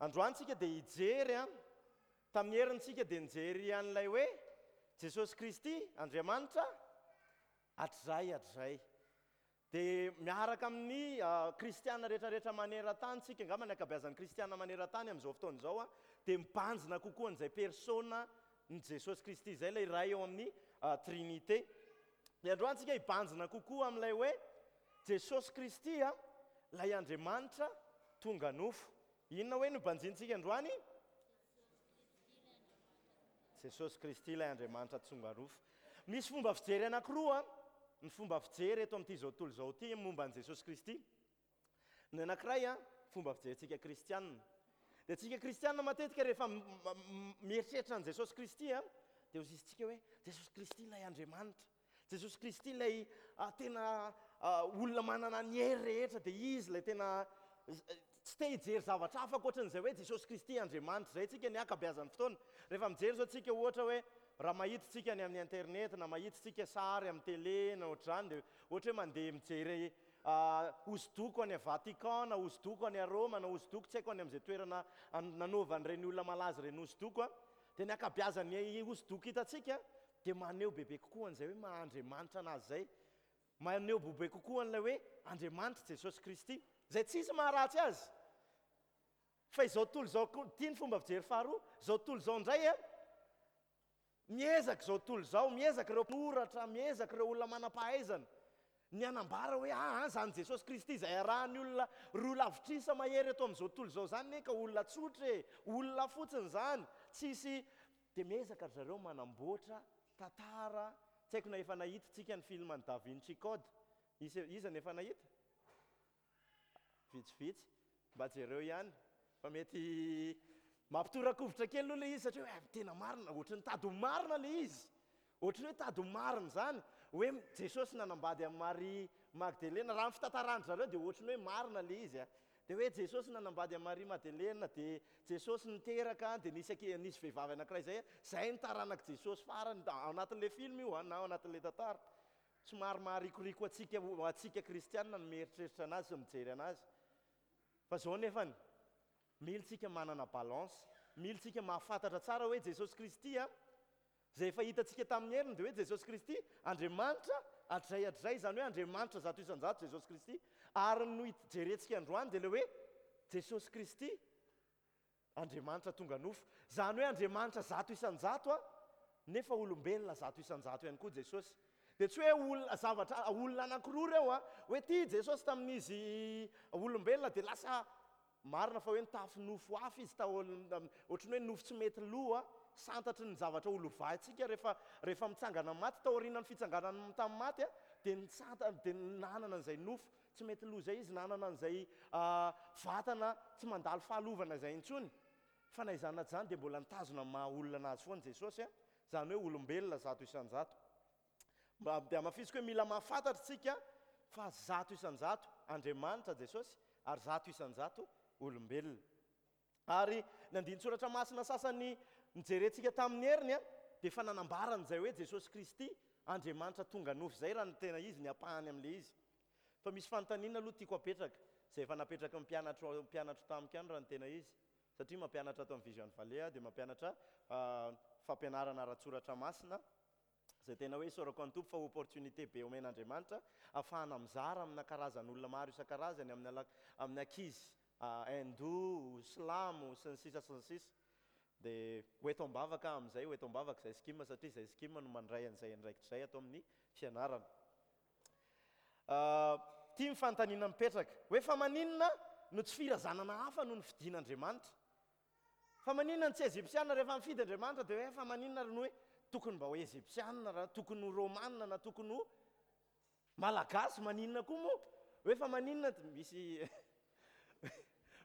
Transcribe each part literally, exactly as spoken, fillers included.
Androany tsika dia hijery a tamin'ny herintsika dia nijery an'ilay hoe Jesosy Kristy Andriamanitra hatrizay hatrizay. Dia miaraka amin'ny kristiana rehetrarehetra maneran-tany tsika, angamba ny ankabeazan'ny kristiana maneran-tany amin'izao fotoana izao a dia mibanjina kokoa an'izay persona ny Jesosy Kristy izay, ilay iray eo amin'ny Trinité. Dia androany tsika hibanjina kokoa amin'ilay hoe Jesosy Kristy a ilay Andriamanitra tonga nofo. Inona hoe no banjintsika androany? Jesosy Kristy ilay Andriamanitra tonga nofo. Misy fomba fijery anankiroa ny fomba fijery eto amin'ity zao tontolo izao ity momba an'i Jesosy Kristy. Ny anankiray a fomba fijerintsika kristianina. Dia tsika kristianina matetika rehefa mieritreritra an'i Jesosy Kristy a dia hoy isika hoe Jesosy Kristy ilay Andriamanitra. Jesosy Kristy ilay tena olona manana ny hery rehetra, dia izy ilay tena tsy te hijery zavatra hafa ankoatran'izay hoe Jesosy Kristy Andriamanitra. Izay tsika ny ankabeazan'ny fotoana. Rehefa mijery zao tsika ohatra hoe raha mahita tsika any amin'ny internet na mahita tsika sary amin'ny télé na ohatr'izany, dia ohatra hoe mandeha mijery hosodoko any Vatican na hosodoko any Roma na hosodoko tsy haiko any amin'izay toerana nanaovan'ireny olona malaza ireny hosodoko a dia ny ankabeazan'ny hosodoko hitantsika dia maneho bebe kokoa an'izay hoe maha Andriamanitra anazy izay, maneho bebe kokoa an'ilay hoe Andriamanitra Jesosy Kristy, izay tsisy maharatsy azy. Fa izao tontolo izao koa, ity ny fomba fijery faharoa, izao tontolo izao indray a miezaka izao tontolo izao, miezaka ireo mpanoratra, miezaka ireo olona manam-pahaizana ny hanambara hoe ah zany Jesosy Kristy izay arahan'ny olona roa lavitrisa mahery eto amin'izao tontolo izao zany ne ka olona tsotra e, olona fotsiny zany, tsisy. Dia miezaka ry zareo manamboatra tantara. Tsy haiko na efa nahita tsika ny film ny Da Vinci Code. Izy iza no efa nahita? Vitsivitsy. Mba jereo ihany fa mety mampitorakovitra kely aloha ilay izy, satria hoe tena marina, ohatry ny tady ho marina ilay izy, ohatry ny hoe tady ho marina izany hoe Jesosy nanambady amin'i Maria Magdalena. Raha ny fitantaran-dry zareo dia ohatry ny hoe marina ilay izy a dia hoe Jesosy nanambady amin'i Maria Magdalena, dia Jesosy niteraka, dia nisy anki- nisy vehivavy anankiray zay zay ny taranak'i Jesosy farany ao anatin'ilay film io na ao anatin'ilay tantara. Somary maharikoriko antsika antsika kristianina ny mieritreritra anazy sy mijery anazy. Fa zao nefany, mila tsika manana balance, mila tsika mahafantatra tsara hoe Jesosy Kristy a izay efa hitantsika tamin'ny heriny, dia hoe Jesosy Kristy Andriamanitra hatrizay hatrizay, izany hoe Andriamanitra zato isan-jato Jesosy Kristy. Ary no jerentsika androany dia ilay hoe Jesosy Kristy Andriamanitra tonga nofo, izany hoe Andriamanitra zato isan-jato a nefa olombelona zato isan-jato ihany koa Jesosy. Dia tsy hoe olona zavatra olona anankiroa ireo a hoe tia Jesosy tamin'izy olombelona dia lasa marina fa hoe nitafy nofo hafa izy tao, ohatry ny hoe nofo tsy mety lo a santatry ny zavatra ho lovaintsika rehefa rehefa mitsangana maty. Taorian'ny fitsanganany tamin'ny maty a dia nisanta, dia nanana an'izay nofo tsy mety lo izay izy, nanana an'izay vatana tsy mandalo fahalovana izay intsony. Fa na izany na izany dia mbola nitazona ny maha olona anazy foana Jesosy a izany hoe olombelona zato isan-jato. Mba dia hamafisiko hoe mila mahafantatra tsika fa zato isan-jato Andriamanitra Jesosy ary zato isan-jato olombelona. Ary ny andinin-tsoratra masina sasany nijerentsika tamin'ny heriny a dia efa nanambaran'izay hoe Jesosy Kristy Andriamanitra tonga nofo izay, raha ny tena izy ny ampahany amin'ilay izy. Fa misy fanontaniana aloha tiako apetraka, izay efa napetraka ny mpianatro mpianatro tamiko ihany raha ny tena izy, satria mampianatra ato amin'ny Vision Valley aho, dia mampianatra fampianarana ara-tsoratra masina, izay tena hoe isaorako an'ny Tompo fa opportunité be omen'Andriamanitra ahafahana mizara amina karazan'olona maro isan-karazany, amin'ny amin'ny ankizy hindou, silamo sy ny sisa sy ny sisa. Dia ho eto am-bavaka amin'izay, ho eto am-bavaka izay skim, satria izay skim no mandray an'izay andraikitra izay ato amin'ny fianarana. Tia ny fanontaniana mipetraka hoe fa maninona no tsy firazanana hafa no nofidin'Andriamanitra? Fa maninona no tsy Egyptiana rehefa mifidy Andriamanitra? Dia hoe fa maninona no hoe tokony mba ho Egyptiana, raha tokony ho Romana na tokony ho Malagasy, maninona koa moa? Hoe fa maninona misy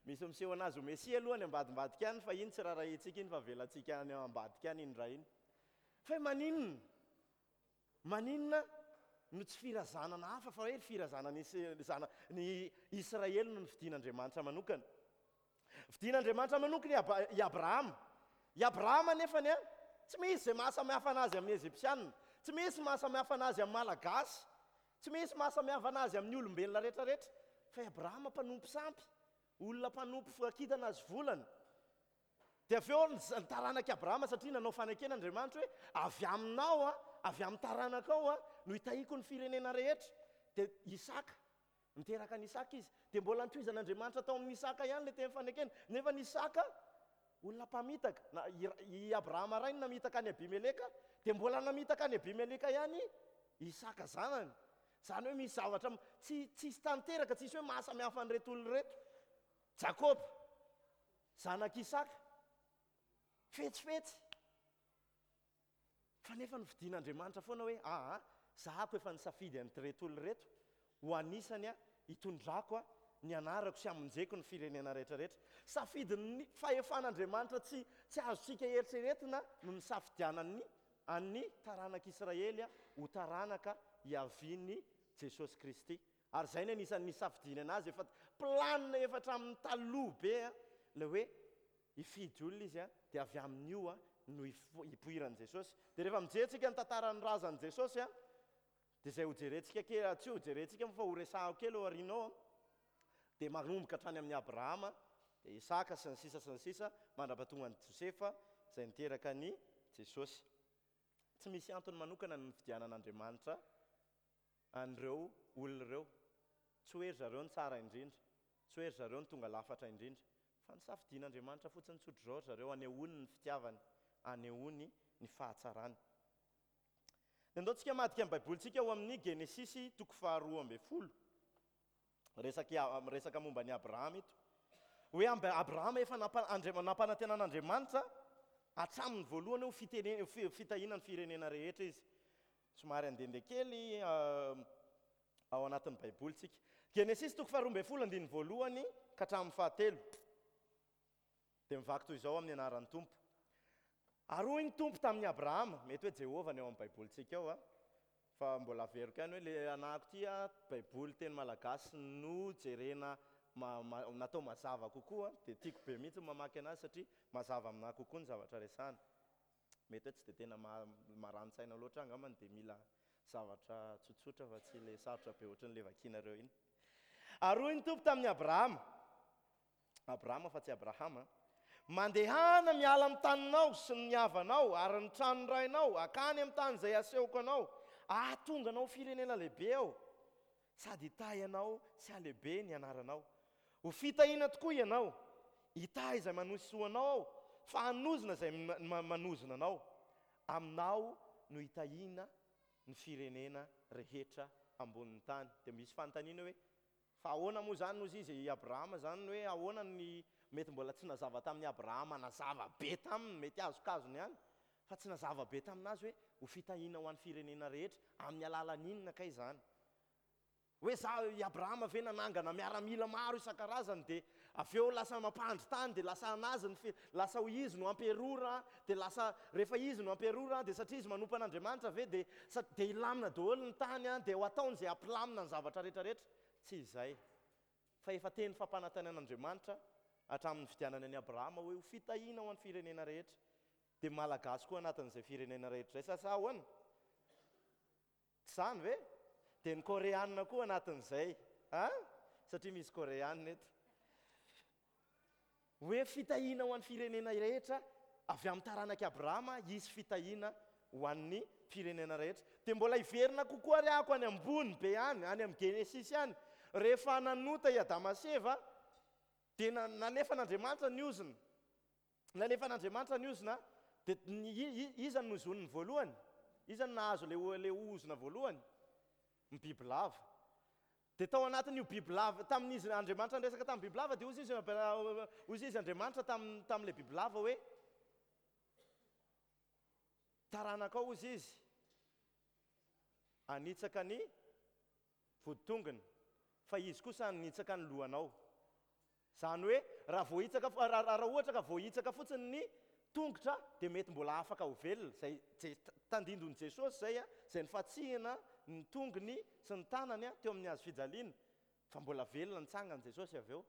misy miseho anazy ho Mesia aloha any ambadimbadika any, fa iny tsy raharahiantsika iny fa avelantsika any ambadika any iny raha iny. Fa hoe maninona? Maninona no tsy firazanana hafa fa hoe firazanana ny Israely no nofidin'Andriamanitra manokana? Fidin'Andriamanitra manokana i Abrahama. I Abrahama nefany a tsy misy izay mahasamihafa anazy amin'ny Egyptiana, tsy misy mahasamihafa anazy amin'ny Malagasy, tsy misy mahasamihafa anazy amin'ny olombelona rehetrarehetra. Fa i Abrahama mpanompo sampy, olona mpanompo kintana azy volana. Dia avy eo ny taranak'i Abrahama, satria nanao fanekena Andriamanitra hoe avy aminao, a, avy amin'ny taranakao a, no hitahiako ny firenena rehetra. Dia Isaka, niteraka an'i Isaka izy. Dia mbola nitohizan'Andriamanitra tao amin'i Isaka ihany ilay teny fanekena. Nefa ny Isaka olona mpamitaka. Na i Abrahama rainy namitaka an'i Abimeleka, dia mbola namitaka an'i Abimeleka ihany Isaka zanany. Izany hoe misy zavatra tsy tsisy tanteraka, tsisy hoe mahasamihafa an'ireto olona ireto. Jakoba, zanak'i Isaka, fetsifetsy. Fa nefa nofidin'Andriamanitra foana hoe aa, zahako efa nisafidy an'ireto olona ireto ho anisany a, hitondrako a ny anarako sy hamonjeko ny firenena rehetrarehetra. Safidin'ny fahefan'Andriamanitra tsy tsy azontsika eritreretina no nisafidianany an'ny taranak'Israely ho taranaka hiavian'i Jesosy Kristy. Ary izay ny anisan'ny nisafidiany anazy, efa planina efa hatramin'ny taloha be a, ilay hoe hifidy olona izy a, dia avy amin'io a no hipoiran'i Jesosy. Dia rehefa mijery tsika ny tantaran'ny razan'i Jesosy a, dia izay hojerentsika kely, tsy hojerentsika moa fa horesahako kely ao aoriana ao, dia manomboka hatrany amin'i Abrahama, dia Isaka sy ny sisa sy ny sisa, mandra-pahatonga an'i Josefa izay niteraka an'i Jesosy. Tsy misy antony manokana ny nifidianan'Andriamanitra an'ireo olona ireo. Tsy hoe ry zareo no tsara indrindra, tsy hoe ry zareo no tonga lafatra indrindra, fa nisafidian'Andriamanitra fotsiny tsotra izao ry zareo hanehoany ny fitiavany, hanehoany ny fahatsarany. Dia andao tsika hamadika ny Baibolintsika ao amin'ny Genesisy toko faharoa ambin'ny folo. Resaka, resaka momba an'i Abrahama ito. Hoe Abrahama efa nampanantenan'Andriamanitra hatramin'ny voalohany ho fitene-, fitahiana ny firenena rehetra izy. Somary handehandeha kely ao anatin'ny Baiboly tsika. Genesisy toko faharoa ambin'ny folo andininy voalohany ka hatramin'ny fahatelo. Dia mivaky toy izao amin'ny anaran'ny Tompo. Ary hoy ny Tompo tamin'i Abrahama, mety hoe Jehovah ny ao amin'ny Baibolintsika ao, fa mbola averiko ihany hoe le anahako ity a, Baiboly teny malagasy no jerena natao mazava kokoa, dia tiako be mihitsy ny mamaky anazy satria mazava aminahy kokoa ny zavatra resahana. Mety hoe tsy dia tena marani-tsaina loatra angambany, dia mila zavatra tsotsotra fa tsy le sarotra be ohatran'ilay vakinareo iny. Ary hoy ny Tompo tamin'i Abrahama, Abrahama fa tsy Abrahama, mandehana miala amin'ny taninao sy ny havanao ary ny tranon'ny rainao, akany amin'ny tany izay asehoko anao, ahatonga anao firenena lehibe aho, sady hitahy anao sy halehibe ny anaranao. Ho fitahiana tokoa ianao, hitahy izay manosoa anao aho, fa hanozona izay manozona anao. Aminao no hitahiana ny firenena rehetra ambonin'ny tany. Dia misy fanontaniana hoe, fa ahoana moa izany hozy izy, i Abrahama izany hoe ahoana ny mety mbola tsy nazava tamin'i Abrahama, nazava be taminy, mety azokazony ihany, fa tsy nazava be taminazy hoe ho fitahiana ho an'ny firenena rehetra, amin'ny alalan'inona kay izany? Hoe za, i Abrahama ve nanangana miaramila maro isan-karazany, dia avy eo lasa mampandry tany, dia lasa anazy ny fi-, lasa ho izy no amperora, dia lasa rehefa izy no amperora, dia satria izy manompo an'Andriamanitra ve, dia sa-, dia hilamina daholo ny tany, dia ho ataony izay hampilamina ny zavatra rehetrarehetra. Tsy izay. Fa efa teny fampanantenan'Andriamanitra hatramin'ny nifidianany an'i Abrahama hoe ho fitahiana ho an'ny firenena rehetra. Dia Malagasy koa anatin'izay firenena rehetra izay, sa sa ahoana? Tsy izany ve? Dia ny Koreana koa anatin'izay, a? Satria misy Koreana eto. Hoe fitahiana ho an'ny firenena rehetra, avy amin'ny taranak'i Abrahama hisy fitahiana ho an'ny firenena rehetra. Dia mbola hiverina kokoa ary ahako any ambony be any, any amin'ny Genesisy any. Rehefa nanota i Adama sy Eva, dia nalefan'Andriamanitra ny ozona. Nalefan'Andriamanitra ny ozona, dia iza no nozoniny voalohany? Iza no nahazo ilay ozona voalohany? Ny bibilava. Dia tao anatin'io bibilava, tamin'izy Andriamanitra niresaka tamin'ny bibilava, dia hoy izy, hoy izy Andriamanitra tamin'ilay bibilava hoe, taranakao hoy izy, hanitsaka ny voditongony, fa izy kosa hanitsaka ny lohanao. Izany hoe, raha voahitsaka, raha ohatra ka voahitsaka fotsiny ny tongotra, dia mety mbola afaka ho velona. Izay tandindon'i Jesosy izay, izay nifatsihina ny tongony sy ny tanany teo amin'ny hazo fijaliana, fa mbola velona nitsangana Jesosy avy eo.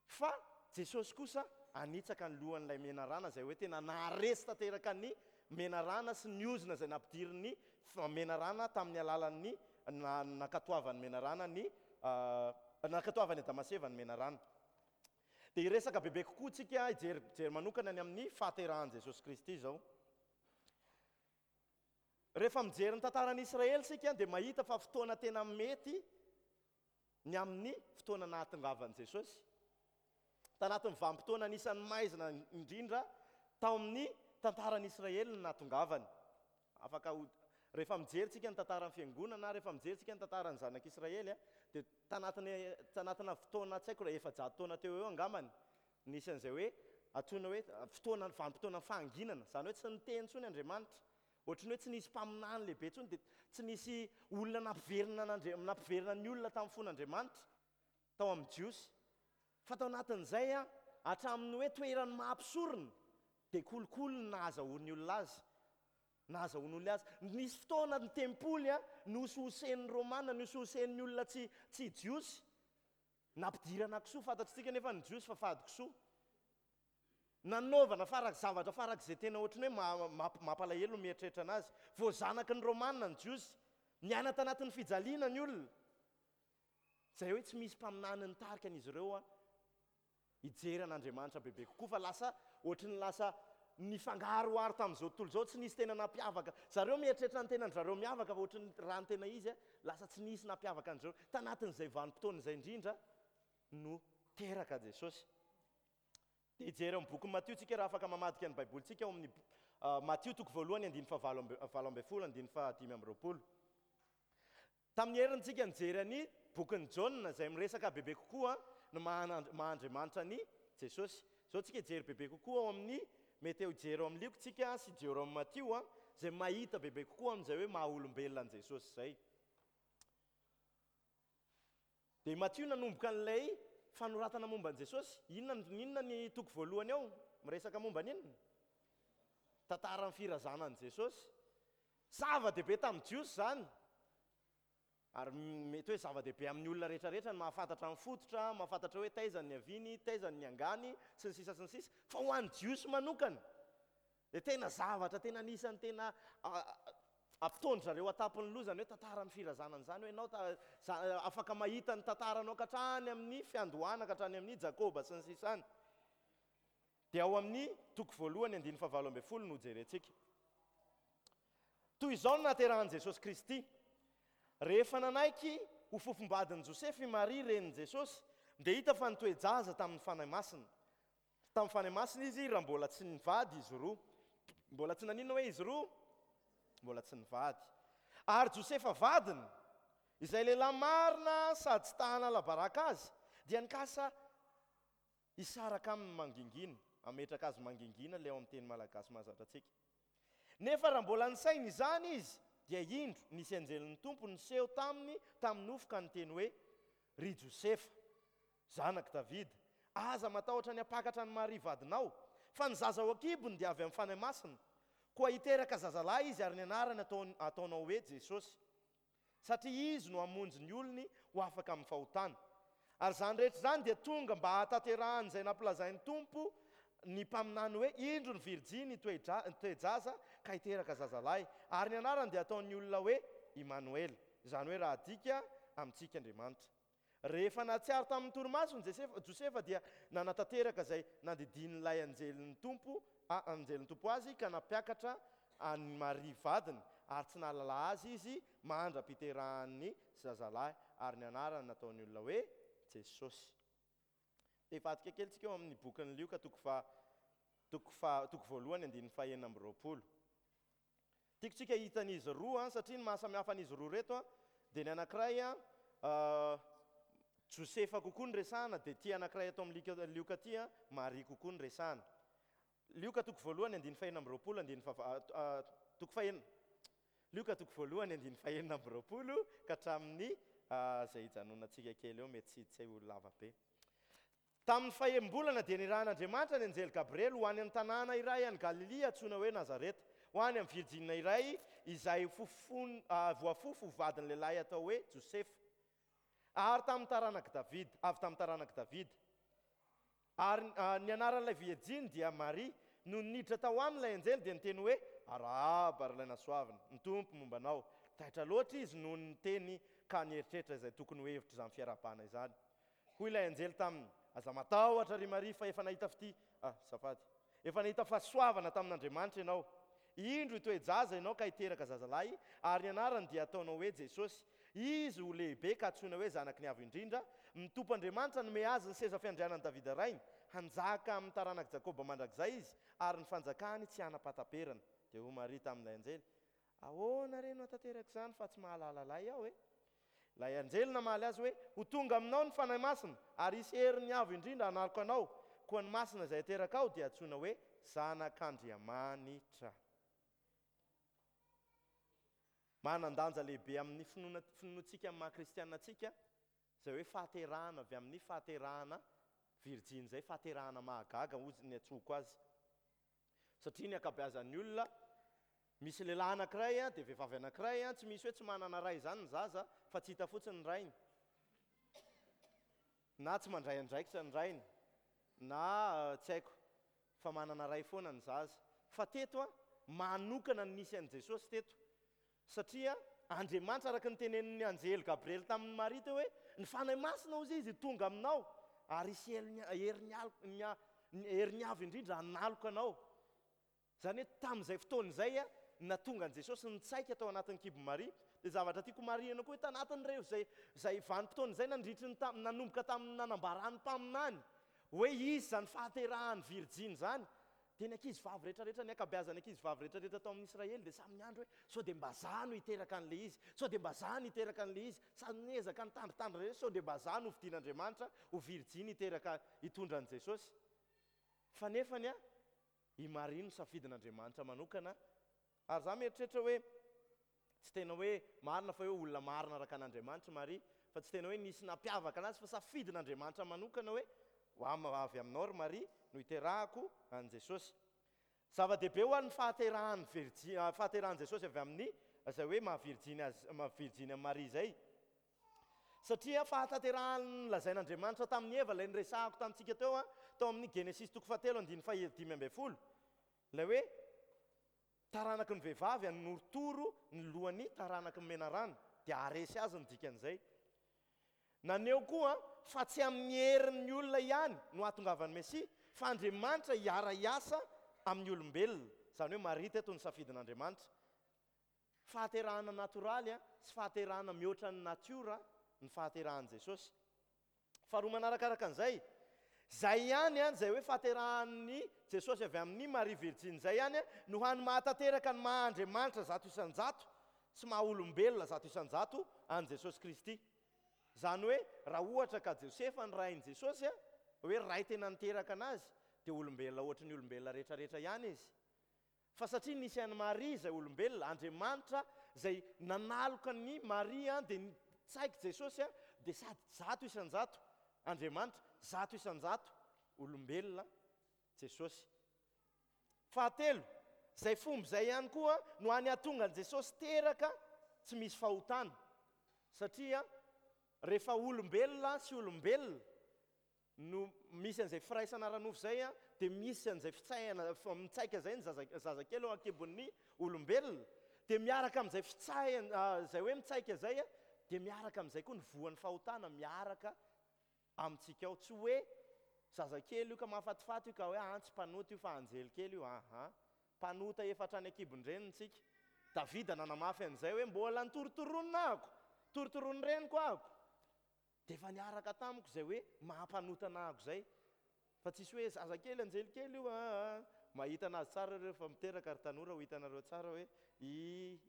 Fa Jesosy kosa hanitsaka ny lohan'ilay menarana, izay hoe tena naharesy tanteraka ny menarana sy ny ozona izay nampidirin'ny menarana tamin'ny alalan'ny nankatoavan'ny menarana ny nankatoavan'i Adama sy Eva ny menarana. Dia hiresaka bebe kokoa tsika, hijery jery manokana ny amin'ny fahaterahan'i Jesosy Kristy izao. Rehefa mijery ny tantaran'i Israely isika dia mahita fa fotoana tena mety ny amin'ny fotoana nahatongavan'i Jesosy. Tanatin'ny vanim-potoana anisan'ny maizina indrindra tao amin'ny tantaran'i Israely no nahatongavany. Afaka ho, rehefa mijery tsika ny tantaran'ny fiangonana, rehefa mijery tsika ny tantaran'ny zanak'Israely, dia tanatin'ny, tanatina fotoana tsy haiko raha efajato taona teo eo angambany, nisy an'izay hoe antsoina hoe fotoana, vanim-potoana fahanginana, izany hoe tsy niteny intsony Andriamanitra. Ohatran'ny hoe tsy nisy mpaminany lehibe intsony, dia tsy nisy olona nampiverina an'Andria-, nampiverina ny olona tamin'ny fon'Andriamanitra tao amin'ny Jiosy. Fa tao anatin'izay, hatramin'ny hoe toeran'ny maha mpisorona, dia kolikoly ny nahazahoan'ny olona azy. Nahazahoan'ny olona azy. Nisy fotoana ny tempoly nohosohosen'ny Romana, nohosohosen'ny olona tsy, tsy Jiosy. Nampidirana kisoa, fantatritsika nefa ny Jiosy fa fady kisoa. Nanaovana farak-, zavatra farak'izay tena ohatran'ny hoe ma-, ma-, mampalahelo ny mieritreritra anazy. Voazanaky ny Romana ny Jiosy. Niaina tanatin'ny fijaliana ny olona. Izay hoe tsy misy mpaminany nitarika an'izy ireo hijery an'Andriamanitra bebe kokoa, fa lasa ohatry ny lasa nifangaroharo tamin'izao tontolo izao, tsy nisy tena nampiavaka. Zareo mieritreritra ny tenan-dry zareo miavaka, fa ohatry ny raha ny tena izy, lasa tsy nisy nampiavaka an-dry zareo. Tanatin'izay vanim-potoana izay indrindra no teraka Jesosy. Dia hijery ao amin'ny bokin'i Matio tsika raha afaka mamadika ny Baibolintsika ao amin'ny, ah, Matio toko voalohany andininy fahavalo amby, valo ambin'ny folo andininy fahadimy amby roapolo. Tamin'ny heriny tsika nijery an'i bokin'i Jaona izay miresaka bebe kokoa ny maha Andriamanitra an'i Jesosy. Izao tsika hijery bebe kokoa ao amin'ny, mety hijery ao amin'ny Lioka tsika sy hijery ao amin'ny Matio, izay mahita bebe kokoa amin'izay hoe maha olombelona an'i Jesosy izay. Dia Matio nanomboka an'ilay fanoratana momba an'i Jesosy. Inona, inona ny toko voalohany ao? Miresaka momba an'inona? Tantaran'ny firazanan'i Jesosy. Zava-dehibe tamin'ny Jiosy izany. Ary mety hoe zava-dehibe amin'ny olona rehetrarehetra ny mahafantatra ny fototra, mahafantatra hoe taiza ny niaviany, taiza ny niangany, sy ny sisa sy ny sisa. Fa ho an'ny Jiosy manokana, dia tena zavatra tena anisan'ny tena, a, ampitaon-dry zareo an-tampon'ny loha izany hoe tantaran'ny firazanana izany, hoe ianao ta-, za-, afaka mahita ny tantaranao ka hatrany amin'ny fiandohana, ka hatrany amin'ny Jakoba sy ny sisa any. Dia ao amin'ny toko voalohany andininy fahavalo ambin'ny folo no jerentsika. Toy izao no nahaterahan'i Jesosy Kristy. Rehefa nanaiky ho fofombadin'i Josefa i Maria renin'i Jesosy, dia hita fa nitoe-jaza tamin'ny Fanahy Masina. Tamin'ny Fanahy Masina izy raha mbola tsy nivady izy roa. Mbola tsy naninona hoe izy roa? Mbola tsy nivady. Ary Josefa vadiny, izay lehilahy marina sady tsy ta hanala baraka azy, dia nikasa hisaraka aminy mangingina, hametraka azy mangingina ilay ao amin'ny teny malagasy mahazatra antsika. Nefa raha mbola nisaina izany izy, dia indro nisy anjelin'ny Tompo niseho taminy tamin'ny nofo ka niteny hoe, Ry Josefa, zanak'i Davida, aza matahotra ny hampakatra an'i Maria vadinao, fa ny zaza ao an-kibony dia avy amin'ny Fanahy Masina. Koa hiteraka zazalahy izy ary ny anarany ataon-, ataonao hoe Jesosy, satria izy no hamonjy ny olony ho afaka amin'ny fahotana. Ary izany rehetra izany dia tonga mba hahatanterahan'izay nampilazain'ny Tompo ny mpaminany hoe, indro ny virjiny hitoe-dra-, hitoe-jaza ka hiteraka zazalahy, ary ny anarany dia ataon'ny olona hoe Imanoela, izany hoe raha adika amintsika Andriamanitra. Rehefa nahatsiaro tamin'ny torimasony Josefa, Josefa dia nanatanteraka izay nandidian'ilay anjelin'ny Tompo, a, anjelin'ny Tompo azy, ka nampiakatra an'i Maria vadiny, ary tsy nahalala azy izy mandra-piterahan'ny zazalahy, ary ny anarany nataon'ny olona hoe Jesosy. Dia hivadika kely tsika eo amin'ny bokin'ny Lioka toko faha, toko faha, toko voalohany andininy fahenina amby roapolo. Tiako tsika hitan'izy roa, satria ny mahasamihafa an'izy roa reto, dia ny anankiray, ah, Josefa kokoa ny resahana, dia ity anankiray ato amin'ny Lioka, Lioka ity, Maria kokoa ny resahana. Lioka toko voalohany andininy fahenina amby roapolo, andininy faha-, ah, ah, toko fahenina. Lioka toko voalohany andininy fahenina amby roapolo ka hatramin'ny, ah, izay hijanonantsika kely eo, mety tsy, tsy ho lava be. Tamin'ny fahembolana dia nirahan'Andriamanitra ny anjely Gabriely ho any amin'ny tanàna iray any Galilia antsoina hoe Nazareta, ho any amin'ny virjina iray izay fofon-, ah, voafofo ho vadin'ny lehilahy atao hoe Josefa. Ary tamin'ny taranak'i Davida, avy tamin'ny taranak'i Davida. Ary, ah, ny anaran'ilay virjiny dia Maria. Nony niditra tao aminy ilay anjely dia niteny hoe, Arahaba ry ilay nasoavina, ny Tompo momba anao. Taitra loatra izy noho ny teny ka nieritreritra izay tokony ho hevitr'izany fiarahabana izany. Hoy ilay anjely taminy, Aza matahotra ry Maria fa efa nahita fitia, ah, azafady, efa nahita fahasoavana tamin'Andriamanitra ianao. Indro hitoe-jaza ianao ka hiteraka zazalahy, ary ny anarany dia ataonao hoe Jesosy. Izy ho lehibe ka antsoina hoe Zanaky ny Avo Indrindra. Ny Tompo Andriamanitra nome azy ny seza fiandrianan'i Davida rainy. Hanjaka amin'ny taranak'i Jakoba mandrakizay izy, ary ny fanjakany tsy hanam-pahataperana. Dia hoy Maria tamin'ilay anjely, Ahoana re no hahatanteraka izany fa tsy mahalala lahy aho e? Ilay anjely namaly azy hoe, Ho tonga aminao ny Fanahy Masina, ary hisy herin'ny Avo Indrindra hanaloka anao, koa ny Masina izay haterakao dia hantsoina hoe Zanak'Andriamanitra. Manan-danja lehibe amin'ny finoana finoantsika amin'ny maha kristiana antsika izay hoe fahaterahana avy amin'ny fahaterahana virjiny izay, fahaterahana mahagaga hozy ny antsoiko azy. Satria ny ankabeazan'ny olona, misy lehilahy anankiray dia vehivavy anankiray, tsy misy hoe tsy manana ray izany ny zaza fa tsy hita fotsiny ny rainy, na tsy mandray andraikitra ny rainy, na tsy haiko, fa manana ray foana ny zaza. Fa teto, manokana ny nisy an'i Jesosy teto, satria Andriamanitra, araka ny tenenin'ny anjely Gabriely tamin'i Maria teo hoe, ny Fanahy Masina hozy izy tonga aminao, ary hisy herin'ny Avo Indrindra hanaloka anao. Izany hoe tamin'izay fotoana izay nahatonga an'i Jesosy nitsaika tao anatin'ny kibon'i Maria. Dia zavatra tiako marihina koa hoe tanatin'ireo izay izay vanim-potoana izay nandritry ny tam-, nanomboka tamin'ny nanambaran'ny mpaminany hoe hisy izany fahaterahan'ny virjiny izany, dia ny ankizy vavy rehetrarehetra, ny ankabeazan'ny ankizy vavy rehetrarehetra tao amin'ny Israely dia samy niandry hoe sao dia mba za no hiteraka an'ilay izy, sao dia mba za no hiteraka an'ilay izy, samy niezaka nitandritandrina rehetra sao dia mba za no hofidian'Andriamanitra ho virjiny hiteraka hitondra an'i Jesosy. Fa nefany a, i Maria no safidin'Andriamanitra manokana, ary za mieritreritra hoe tsy tena hoe marina fa hoe olona marina araka an'Andriamanitra i Maria, fa tsy tena hoe nisy nampiavaka anazy fa safidin'Andriamanitra manokana hoe ho avy aminao ry Maria no hiterahako an'i Jesosy. Zava-dehibe ho an'ny fahaterahan'ny virji-, fahaterahan'i Jesosy avy amin'ny izay hoe maha virjiny azy, maha virjiny an'i Maria izay. Satria fahatanterahan'ny lazain'Andriamanitra tamin'i Eva, ilay niresahako tamintsika teo, tao amin'ny Genesisy toko fahatelo andininy fahadimy ambin'ny folo, ilay hoe taranaky ny vehivavy hanorotoro ny lohan'ny taranaky ny menarana, dia haharesy azy ny dikan'izay. Naneho koa fa tsy amin'ny herin'ny olona ihany no hahatongavan'ny Mesia, fa Andriamanitra hiara-hiasa amin'ny olombelona. Izany hoe Maria teto no safidin'Andriamanitra. Fahaterahana natoraly sy fahaterahana mihoatra ny natiora ny fahaterahan'i Jesosy. Faharoa manarakaraka an'izay, izay ihany, izay hoe fahaterahan'i Jesosy avy amin'i Maria Virjiny izay ihany no hany mahatanteraka ny maha Andriamanitra zato isan-jato sy maha olombelona zato isan-jato an'i Jesosy Kristy. Izany hoe raha ohatra ka Josefa ny rain'i Jesosy, hoe ray tena niteraka anazy, dia olombelona ohatry ny olombelona rehetrarehetra ihany izy. Fa satria nisy an'i Maria izay olombelona, Andriamanitra izay nanaloka an'i Maria dia nitsaiky Jesosy dia sady zato isan-jato Andriamanitra, zato isan-jato olombelona Jesosy. Fahatelo, izay fomba izay ihany koa no hany hahatonga an'i Jesosy teraka tsy misy fahotana. Satria rehefa olombelona sy olombelona no misy an'izay firaisana ara-nofo izay, dia misy an'izay fitsaihana, mitsaika izay ny zaza, zazakely ao an-kibon'ny olombelona, dia miaraka amin'izay fitsaihana, izay hoe mitsaika izay, dia miaraka amin'izay koa ny voan'ny fahotana miaraka amintsika ao. Tsy hoe zazakely io ka mahafatifaty io ka hoe ah, tsy mpanota io fa anjely kely io, aha. Mpanota efa hatrany an-kibon-dreniny tsika. Davida nanamafy an'izay hoe mbola nitorotoronina ahako, torotoronin'ny reniko ahako. Dia efa niaraka tamiko izay hoe maha-mpanota anahako izay. Fa tsisy hoe zazakely, anjely kely io, ah, ah. Mahita anazy tsara ireo efa miteraka ry tanora, ho hitanareo tsara hoe i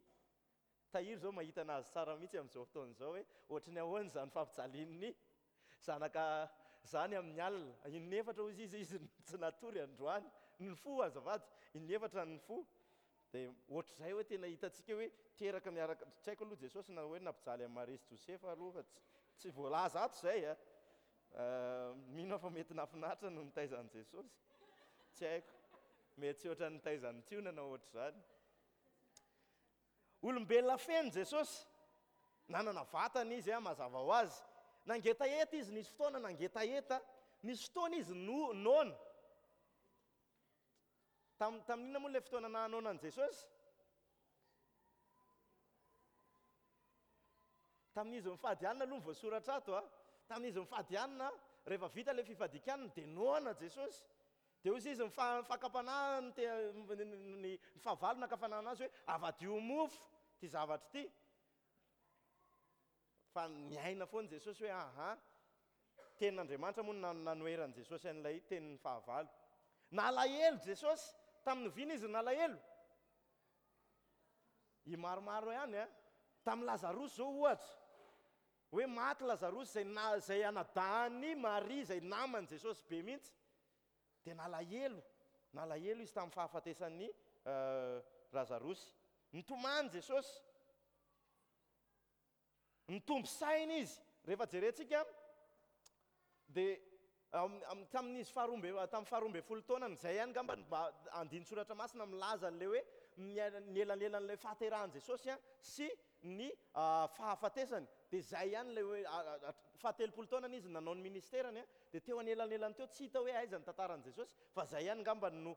Tahiry izao mahita anazy tsara mihitsy amin'izao fotoana izao hoe ohatry ny ahoana izany fampijalian'ny zanaka izany amin'ny alina. Inefatra hozy izy, izy tsy natory androany. Nifoha azafady, inefatra nifoha. Dia ohatr'izay hoe tena hitantsika hoe teraka miaraka, tsy haiko aloha Jesosy na hoe nampijaly an'i Maria sy Josefa aloha fa tsy, tsy voalaza ato izay a. Mino aho fa mety nahafinaritra no nitaiza an'i Jesosy. Tsy haiko. Mety tsy ohatran'ny nitaiza an'i Tiona na ohatr'izany. Olombelona feno Jesosy. Nanana vatana izy, mazava ho azy. Nangetaheta izy, nisy fotoana nangetaheta, nisy fotoana izy no noana. Tam-, tamin'inona moa ilay fotoana nahanoana an'i Jesosy? Tamin'izy mifady hanina aloha ny voasoratra ato a. Tamin'izy mifady hanina, Rehefa vita ilay fifadian-kanina dia noana Jesosy. Dia hoy izy, ny fakam-panahy, ny fahavalo naka fanahy anazy hoe avadio mofo ity zavatra ity. Fa niaina foana Jesosy hoe aha, tenin'Andriamanitra moa no nanoheran'i Jesosy an'ilay tenin'ny fahavalo. Nalahelo Jesosy, tamin'ny oviana izy nalahelo? I maromaro ihany a. Tamin'ny Lazarosy izao ohatra, hoe maty Lazarosy izay na, izay anadahin'i Maria izay naman'i Jesosy be mihitsy. Dia nalahelo, nalahelo izy tamin'ny fahafatesan'i Lazarosy. Nitomany Jesosy. Nitombo saina izy. Rehefa jerentsika dia tamin'izy faharoa amby, tamin'ny faharoa ambin'ny folo taonany, izay ihany angamba no mba andinin-tsoratra masina milaza an'ilay hoe ny elanelan'ilay fahaterahan'i Jesosy sy ny fahafatesany. Dia izay ihany ilay hoe fahatelopolo taonany izy nanao ny ministerany, dia teo anelanelany teo tsy hita hoe aiza ny tantaran'i Jesosy, fa izay ihany angamba no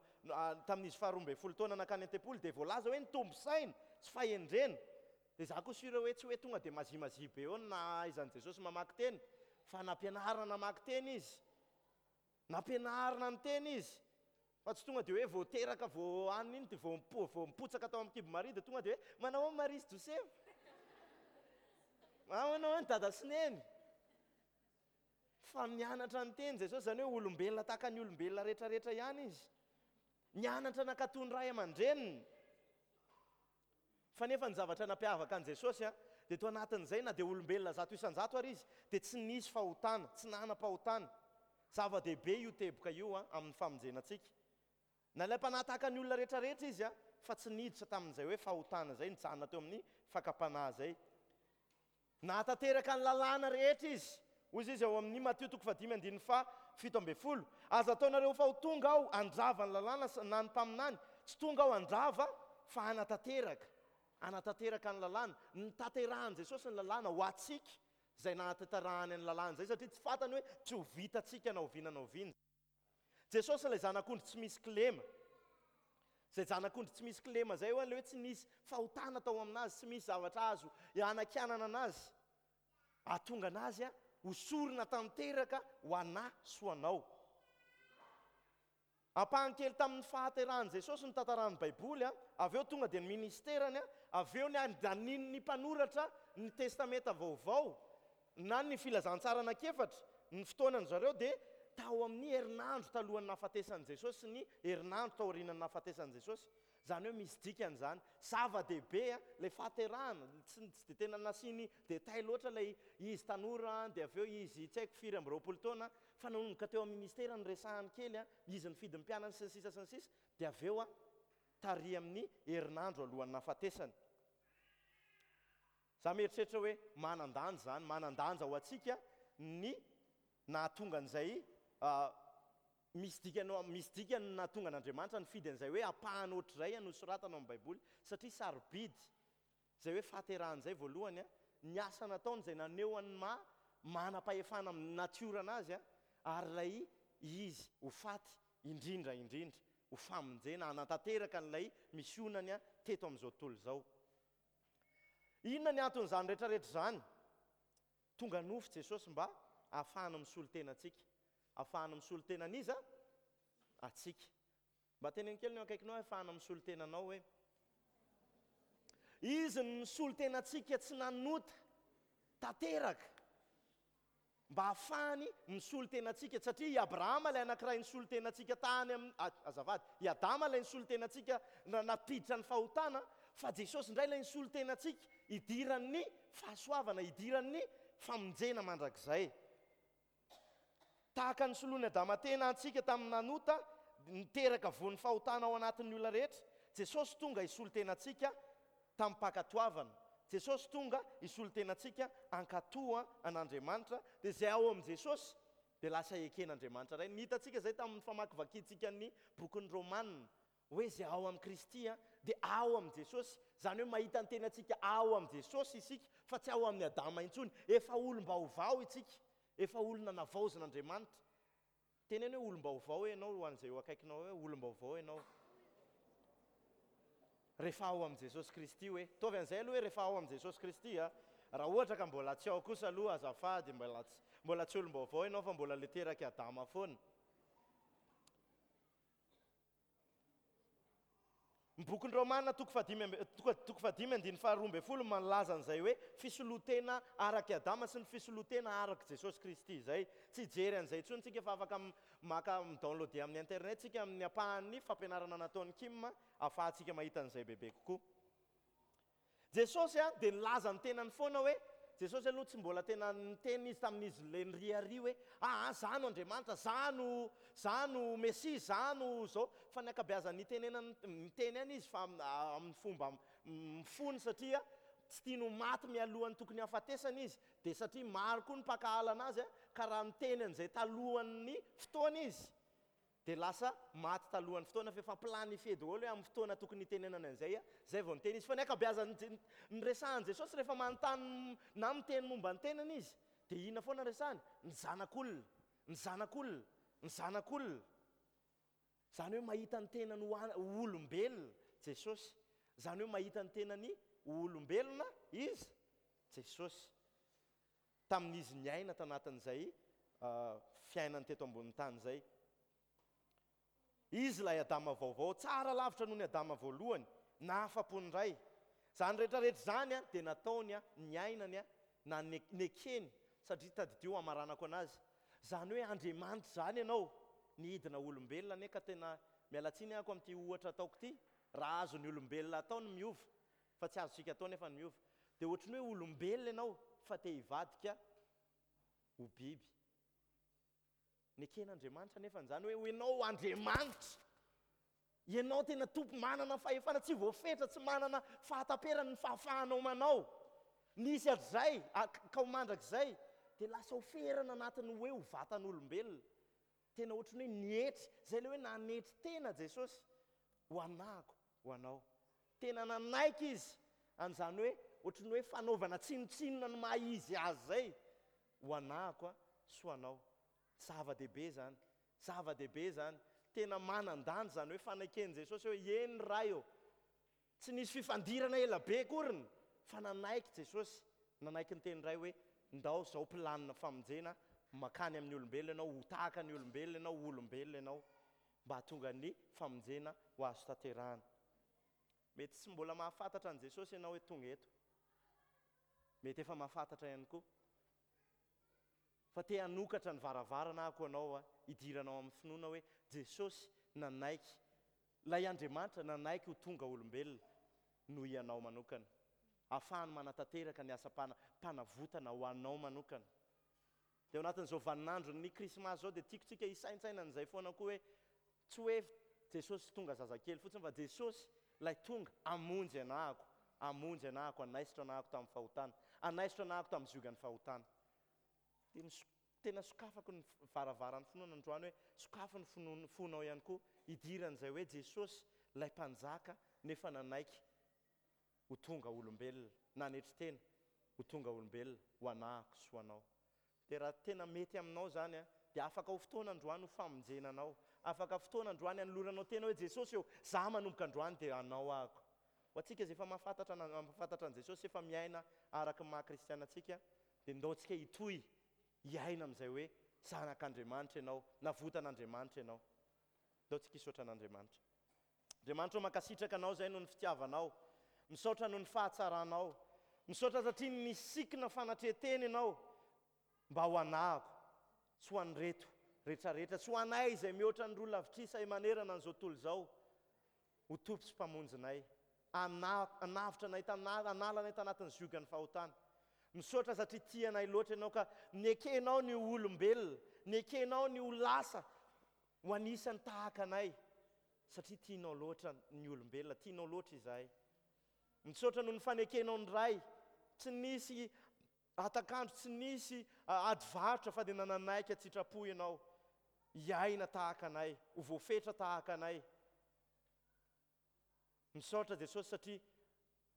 tamin'izy faharoa ambin'ny folo taona nankany an-tempoly dia voalaza hoe nitombo saina sy fahendrena. Dia izaho koa sûr hoe tsy hoe tonga dia mazimazia be eo ny nahaizan'i Jesosy mamaky teny, fa nampianarina namaky teny izy. Nampianarina ny teny izy. Fa tsy tonga dia hoe vao teraka vao hanina iny dia vao mipo-, vao mipotsaka tao amin'ny kibo Maria dia tonga dia hoe manao ahoana Maria sy Josefa? Manao ahoana dada sy neny? Fa nianatra ny teny Jesosy, izany hoe olombelona tahaka ny olombelona rehetrarehetra ihany izy. Nianatra nankatò ny ray aman-dreniny. Fa nefa ny zavatra nampiavaka an'i Jesosy dia tao anatin'izay na dia olombelona zato isan-jato ary izy dia tsy nisy fahotana, tsy nanam-pahotana. Zava-dehibe io teboka io amin'ny famonjena antsika. Nalaim-panahy tahaka ny olona rehetrarehetra izy fa tsy niditra tamin'izay hoe fahotana izay, nijanona teo amin'ny fakam-panahy izay. Nahatanteraka ny lalàna rehetra izy. Hoy izy ao amin'ny Matio toko fahadimy andininy faha fito ambin'ny folo, Aza ataonareo fa ho tonga aho handrava ny lalàna na ny mpaminany, tsy tonga aho handrava fa hanatanteraka. Hanatanteraka ny lalàna. Notanterahan'i Jesosy ny lalàna ho antsika izay nahatanterahany ny lalàna izay, satria tsy fantany hoe tsy ho vitantsika na oviana na oviana. Jesosy ilay zanak'ondry tsy misy kilema. Izay zanak'ondry tsy misy kilema izay ho'a ilay hoe tsy nisy fahotana tao aminazy, tsy misy zavatra azo hanakianana anazy. Hahatonga anazy ho sorona tanteraka ho anà sy ho anao. Ampahany kely tamin'ny fahaterahan'i Jesosy no tantarahan'ny Baiboly, avy eo tonga dia ny ministerany, avy eo ny andanian'ny mpanoratra ny Testamenta Vaovao na ny Filazantsara anankiefatra, ny fotoanan-dry zareo dia tao amin'ny herinandro talohan'ny nahafatesan'i Jesosy sy ny herinandro taorian'ny nahafatesan'i Jesosy. Izany hoe misy dikany izany. Zava-dehibe ilay fahaterahana, tsy dia tena nasiany détail loatra ilay izy tanora dia avy eo izy tsy haiko firy amby roapolo taona, fa nanomboka teo amin'ny ministera niresahany kely, izy nifidy ny mpianany sy ny sisa sy ny sisa, dia avy eo tary amin'ny herinandro alohan'ny nahafatesany. Za mieritreritra hoe manan-danja izany, manan-danja ho antsika ny nahatonga an'izay, misy dikany, misy dikany ny nahatonga an'Andriamanitra nifidy an'izay hoe ampahany ohatr'izay nosoratana ao amin'ny Baiboly, satria sarobidy izay hoe fahaterahana izay voalohany, ny asa nataony izay naneho an'ny maha manam-pahefana amin'ny natiorana azy, ary ilay izy ho faty indrindra indrindra ho famonjena hanatanteraka an'ilay misionany teto amin'izao tontolo izao. Inona ny anton'izany rehetrarehetra izany? Tonga nofo Jesosy mba hahafahana misolo tena antsika. Hahafahana misolo tena an'iza? Antsika. Mba teneno kely ny eo akaikinao hahafahana misolo tena anao hoe Izy no nisolo tena antsika tsy nanota tanteraka mba hahafahany misolo tena antsika, satria i Abrahama ilay anankiray nisolo tena antsika tany amin'ny, azafady, i Adama ilay nisolo tena antsika nampiditra ny fahotana, fa Jesosy indray ilay nisolo tena antsika hidiran'ny fahasoavana, hidiran'ny famonjena mandrakizay. Tahaka ny soloin'i Adama tena antsika tamin'ny nanota, niteraka voan'ny fahotana ao anatin'ny olona rehetra, Jesosy tonga hisolo tena antsika tamim-pankatoavana. Jesosy tonga hisolo tena antsika hankatoa an'Andriamanitra, dia izay ao amin'i Jesosy dia lasa eken'Andriamanitra Ray. Ny hitantsika izay tamin'ny famakivakintsika ny bokin'ny Romana, hoe izay ao amin'i Kristy dia ao amin'i Jesosy. Izany hoe mahita ny tenantsika ao amin'i Jesosy isika fa tsy ao amin'i Adama intsony. Efa olom-baovao isika, efa olona navaozin'Andriamanitra. Teneno hoe olom-baovao ianao ho an'izay eo akaikinao hoe olom-baovao ianao. Rehefa ao amin'i Jesosy Kristy hoe. Ataovy an'izay aloha hoe rehefa ao amin'i Jesosy Kristy a. Raha ohatra ka mbola tsy ao kosa aloha azafady, mbola tsy, Mbola tsy olom-baovao ianao fa mbola le terak'i Adama foana. Ny bokin'ny Romana toko fahadimy amby, toko, toko fahadimy andininy faharoa ambin'ny folo milaza an'izay hoe fisoloan-tena arak'i Adama sy ny fisoloan-tena arak'i Jesosy Kristy izay. Tsy hijery an'izay intsony tsika fa afaka maka mi-downloader amin'ny internet tsika amin'ny ampahan'ny fampianarana nataon'i Kim ahafahantsika mahita an'izay bebe kokoa. Jesosy dia nilaza ny tenany foana hoe, Jesosy aloha tsy mbola tena niteny izy tamin'izy ilay niriaria hoe, aa za no Andriamanitra, za no, za no Mesia, za no zao, fa ny ankabeazan'ny nitenenany, niteny ihany izy fa amin'ny fomba mifony satria tsy tiany ho maty mialohan'ny tokony hahafatesany izy, dia satria maro koa ny mpankahala anazy ka raha niteny an'izay talohan'ny fotoana izy dia lasa maty talohan'ny fotoana fa efa planifié daholo hoe amin'ny fotoana tokony hitenenana an'izay zay vao niteny izy. Fa ny ankabeazan'ny niresahan'i Jesosy rehefa manontany na miteny momba ny tenany izy dia inona foana resahany? Ny zanak'olona, ny zanak'olona, ny zanak'olona. Izany hoe mahita ny tenany ho olombelona Jesosy. Izany hoe mahita ny tenany ho olombelona izy Jesosy. Tamin'izy niaina tanatin'izay fiainany teto ambonin'ny tany izay. Izy ilay Adama vaovao, tsara lavitra noho ny Adama voalohany, nahafa-po ny Ray. Izany rehetrarehetra izany dia nataony, niainany, na nekeny, satria tadidio hamaranako anazy. Izany hoe Andriamanitra izany ianao, nihidina olombelona anie ka tena miala tsiny ahako amin'ity ohatra ataoko ity, raha azon'ny olombelona atao ny miova, fa tsy azontsika atao nefa ny miova. Dia ohatran'ny hoe olombelona ianao fa te hivadika ho biby. Neken'Andriamanitra nefa izany hoe ianao Andriamanitra. Ianao tena tompo manana fahefana, tsy voafetra, tsy manana fahataperana ny fahafahanao manao. Nisy hatrizay, ka ho mandrakizay, dia lasa ho ferana anatin'ny hoe ho vatan'olombelona. Tena ohatran'ny hoe nietry, izay ilay hoe nanetry tena Jesosy ho anahako, ho anao. Tena nanaiky izy an'izany hoe ohatran'ny hoe fanaovana tsinontsinona ny maha izy azy izay ho anahako sy ho anao. Zava-dehibe izany, zava-dehibe izany. Tena manan-danja izany hoe fanaiken'i Jesosy hoe eny Ray ô. Tsy nisy fifandirana ela be akoriny fa nanaiky Jesosy, nanaiky ny teny Ray hoe ndao izao planina famonjena makany amin'ny olombelona ianao, ho tahaka ny olombelona ianao, ho olombelona ianao mba hahatonga ny famonjena ho azo tanterahana. Mety tsy mbola mahafantatra an'i Jesosy ianao hoe tonga eto. Mety efa mahafantatra ihany koa. Fa te hanokatra ny varavarana ako anao hidiranao amin'ny finoana hoe Jesosy nanaiky, ilay Andriamanitra nanaiky ho tonga olombelona noho ianao manokana. Ahafahany manatanteraka ny asam-panavotana ho anao manokana. Dia ao anatin'izao vaninandron'ny Krismasy izao dia tiako tsika hisaintsaina an'izay foana koa hoe tsy hoe Jesosy tonga zazakely fotsiny fa Jesosy ilay tonga hamonjy anahako, hamonjy anahako, hanaisotra anahako tamin'ny fahotana, hanaisotra anahako tamin'ny ziogan'ny fahotana. Dia tena sokafako ny varavaran'ny finoana androany hoe sokafo ny finoana fonao ihany koa hidiran'izay hoe Jesosy ilay mpanjaka nefa nanaiky ho tonga olombelona, nanetry tena ho tonga olombelona ho anahako sy ho anao. Dia raha tena mety aminao izany dia afaka ho fotoana androany ho famonjena anao, afaka fotoana androany hanoloranao tena hoe Jesosy eo, za manomboka androany dia anao ahako. Ho antsika izay efa mahafantatra mahafantatra an'i Jesosy, efa miaina araka ny maha kristiana antsika, dia ndaontsika hitohy hiaina amin'izay hoe zanak'Andriamanitra ianao, navotan'Andriamanitra ianao. Ndaontsika hisaotra an'Andriamanitra. Andriamanitra, mankasitraka anao izay noho ny fitiavanao, misaotra noho ny fahatsaranao, misaotra satria nisikina fanatrehan-tena ianao mba ho anahako, tsy ho an'ireto rehetrarehetra, tsy ho anay izay mihoatra ny roa lavitrisa manerana an'izao tontolo izao, ho tompo sy mpamonjinay, hanavotra anay, hanala anay tanatin'ny ziogan'ny fahotana. Misaotra satria tianay loatra ianao ka nekenao ny olombelona, nekenao ny ho lasa ho anisan'ny tahaka anay, satria tianao loatra ny olombelona, tianao loatra izahay. Misaotra noho ny fanekenao ny Ray, tsy nisy atakandro, tsy nisy ady varotra fa dia nananaiky an-tsitrapo ianao hiaina tahaka anay, ho voafetra tahaka anay. Misaotra Jesosy satria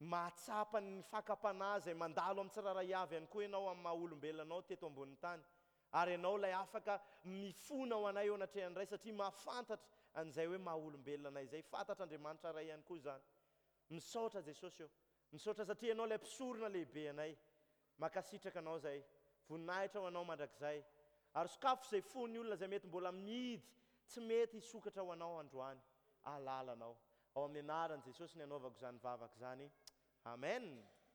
mahatsapa ny fakam-panahy izay mandalo amin'ny tsirairay avy ihany koa ianao amin'ny maha olombelona anao teto ambonin'ny tany. Ary ianao ilay afaka mifona ho anay eo anatrehan'ny Ray satria mahafantatra an'izay hoe maha olombelona anay izay. Fantatr'Andriamanitra Ray ihany koa izany. Misaotra Jesosy eo. Misaotra satria ianao ilay mpisorona lehibe anay. Mankasitraka anao izay. Voninahitra ho Anao mandrakizay. Ary sokafo izay fon'ny olona izay mety mbola mihidy, tsy mety hisokatra ho Anao androany. Alalanao. Ao amin'ny anaran'i Jesosy ny anaovako izany vavaka izany. Amen.